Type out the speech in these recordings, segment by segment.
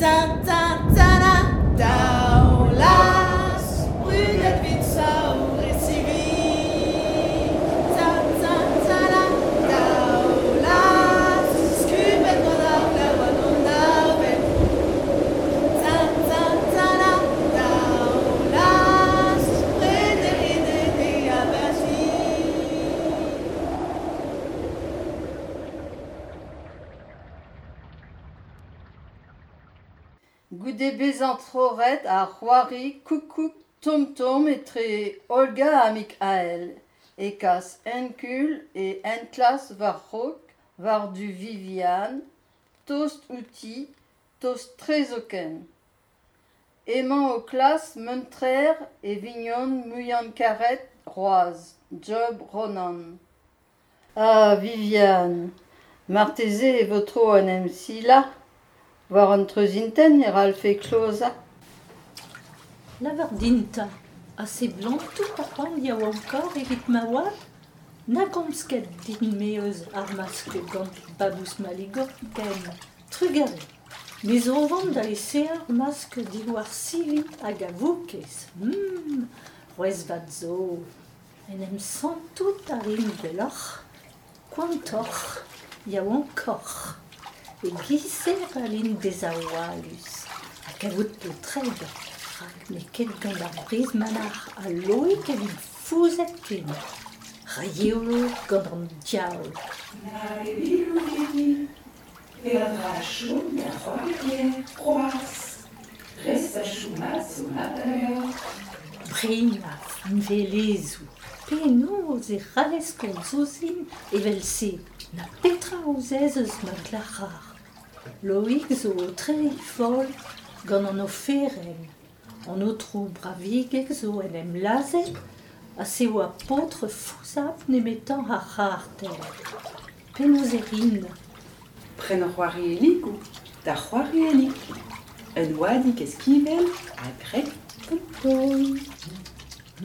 Ta ta ta Daoulas, brudet 'vit saour e sivi. Ta ta ta la Daoulas, skubet gant ar glav hag an avel. Ta ta ta la Daoulas, prederinet e abati. Goude bezañ troc'het ar c'hoari Koukoug Tomm-Tomm etre Olga ha Mickael e kas Enkul e enklask war-raok war-du Viviane, tost outi, tost-tre zoken. Emañ o klask muntrer e vignon muiañ-karet c'hoazh, Job Ronan. Ah Viviane, marteze e vo tro en em silañ war an treuz-intent e c'hallfe klozañ. Lavar din 'ta, ha seblantout a ran yaouankoc'h evit ma oad ? Na gomz ket din-me eus ar maskl gant Babous Maligorn ken. Trugarez. Me zo o vont da esaeañ ur maskl diwar sivi hag a voukez. C'hwezh vat zo. En em santout a rin gwelloc'h, koantoc'h, yaouankoc'h. E-giz-se e c'hallin bezañ hoalus ha kavout paotred rak n'eo ket gant ar brizh-manac'h ha Loig e vin fouzhet ken. Ra yelo gant an diaoul. Nag e vilou Vivi, peadra a chom da c'hoari ker c'hoazh. Rest a chomas zo mat da lavarout. Brein ha finvelezoù. Penaos e c'hallez komz ouzhin evel-se ? Na petra ouzez eus ma glac'har ? Loig zo o treiñ foll gant an oferenn. An aotrou Bravigeg zo en em lazhet ha se oa paotr fouzhapl nemetañ ar c'harter. Penaos e rin ? Pren c'hoarielligoù da c'hoariellig. Un oadig eskibel ha graet gant taol.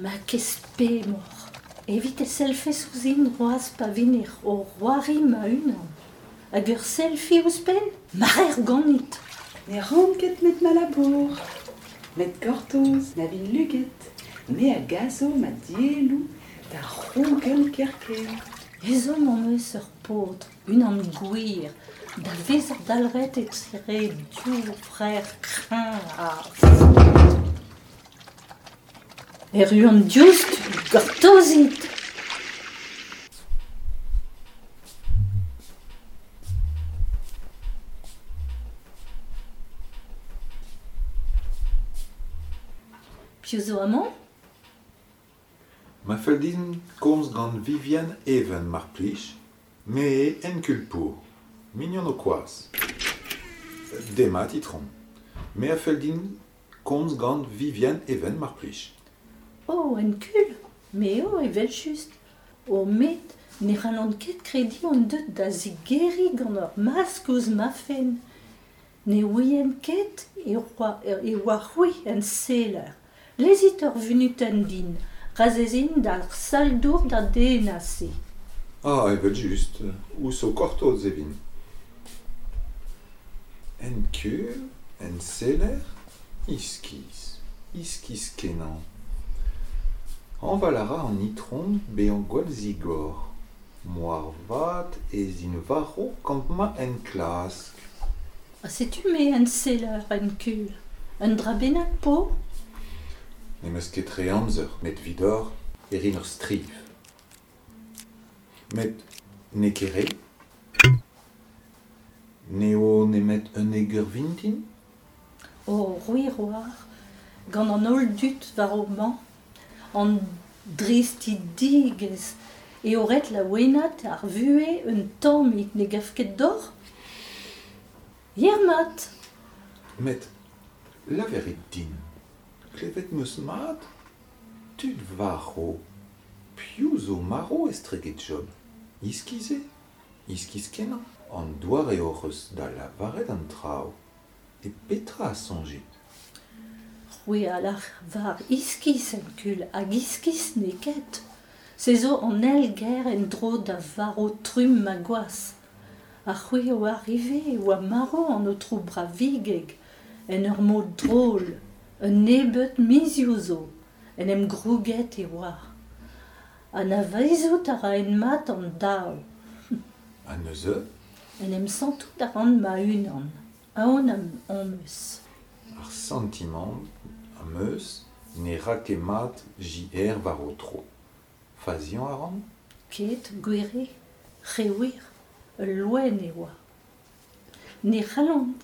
Ma kez pemoc'h, evit e sellfes ouzhin c'hoazh pa vin o c'hoari ma-unan. Hag ur selfie ouzhpenn ? Marer ganit ! Ne ran ket 'met ma labour. Met gortoz na vin luget, me a gaso ma dielloù da c'hrougell kerkent. Ezhomm am eus ur paotr, unan gwir, da vezañ dalc'het etre div vrec'h kreñv ha. Erru on diouzhtu, gortozit ! Piv zo amañ ? Ma fell din komz gant Viviane Even mar plij, me eo Enkulpour, mignon ho kwaz. Demat itron. Me a fell din komz gant Viviane Even mar plij. Oh, Enkul, me eo evel-just. Oh met ne c'hallan ket krediñ on deuet da zigeriñ gant ur maskl ouzh ma fenn. Ne ouien ket e oa c'hwi enseller. Lezit ur vunutenn din, ra 'z in d'ar sal-dour da dennañ se. Ah, evel-just, ouzh ho kortoz e vin. Enkul, enseller, iskis, iskis-kenañ. Hañval a ra an itron bezañ gwall zigor. Moarvat ez in war-raok gant ma enklask. Ha setu me enseller enkul. Un dra bennak 'po ? Ne'm eus ket re amzer, met evidoc'h e rin ur striv. Met n'eo ket re. N'eo nemet unnek eur vintin ? O c'hwi 'oar, gant an holl dud war o mañ, an dristidigezh eo ret laouenaat ar vuhez un tammig, ne gav ket deoc'h ? Yer-mat ! Met lavarit din, klevet 'm eus mat ? Tud varv, piv zo marv estreget Job ? Iskis eo ? Iskis-kenañ an doare hoc'h eus da lavaret an traoù. E petra a soñjit ? C'hwi a lavar iskis en-kul hag iskis n'eo ket. Se zo an eil ger en-dro da varv trumm ma gwaz. Ha c'hwi a oar ivez e oa marv an aotrou Bravigeg. En ur mod drol, un nebeud mizioù zo, en em grouget e oa. Anavezout a raen mat an daou. Ha neuze? En em santout a ran ma-unan, aon am eus. Ar santimant am eus ne ra ket mat JR war ho tro. Faziañ a ran? Ket, gwir eo, re wir, ul loen e oa. Ne c'hallan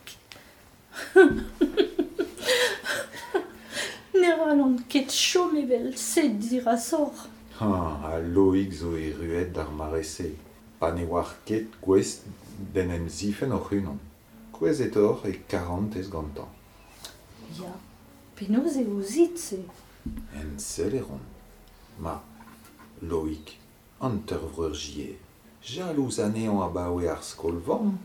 Ne c'hallan ket chom evel-se dirazoc'h. Ha Loig zo erruet d'ar mare-se, pa ne oar ket gouest d'en em zifenn hoc'h-unan. Kouezhet oc'h e karantez gantañ. Ya, penaos eo ouzit-se? Enseller on. Ma, Loig, hantervreur JR, jalouz anezhañ abaoe ar skol-vamm,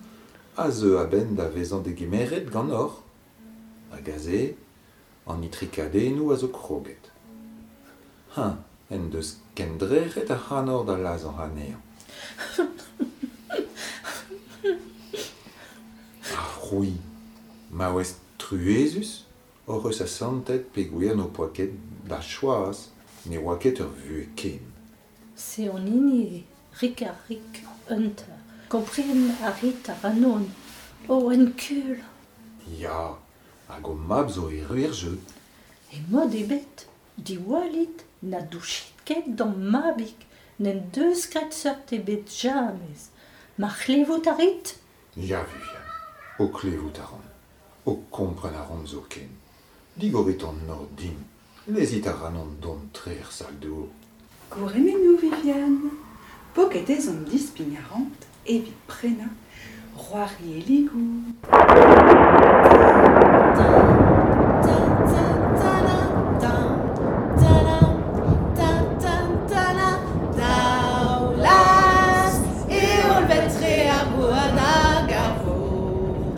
a zeu a-benn da vezañ degemeret ganeoc'h. Hag aze, an itrikadennoù a zo kroget. Eñ en deus kendrec'het ac'hanoc'h da lazhañ anezhañ. Ha c'hwi, maouez truezus, hoc'h eus asantet peogwir n'ho poa ket da choaz, ne oa ket ur vuhez ken. Se an hini eo, rik-ha-rik, Hunter. Kompren a rit ac'hanon. O, en-kul! Ya, hag ho mab zo erru er jeu. E mod ebet, diwallit, na douchit ket d'am mabig, n'en deus graet seurt ebet james. Ma c'hlevout a rit? Ya, Viviane, ho klevout a ran, ho kompren a ran zoken. Digorit an nor din, lezit ac'hanon dont tre er sal-dour. Gourhemennoù, Viviane. Poket ez on dispign arc'hant evit prenañ c'hoarielligoù. Daoulaz e hollved-tre ar gouarn hag ar vor.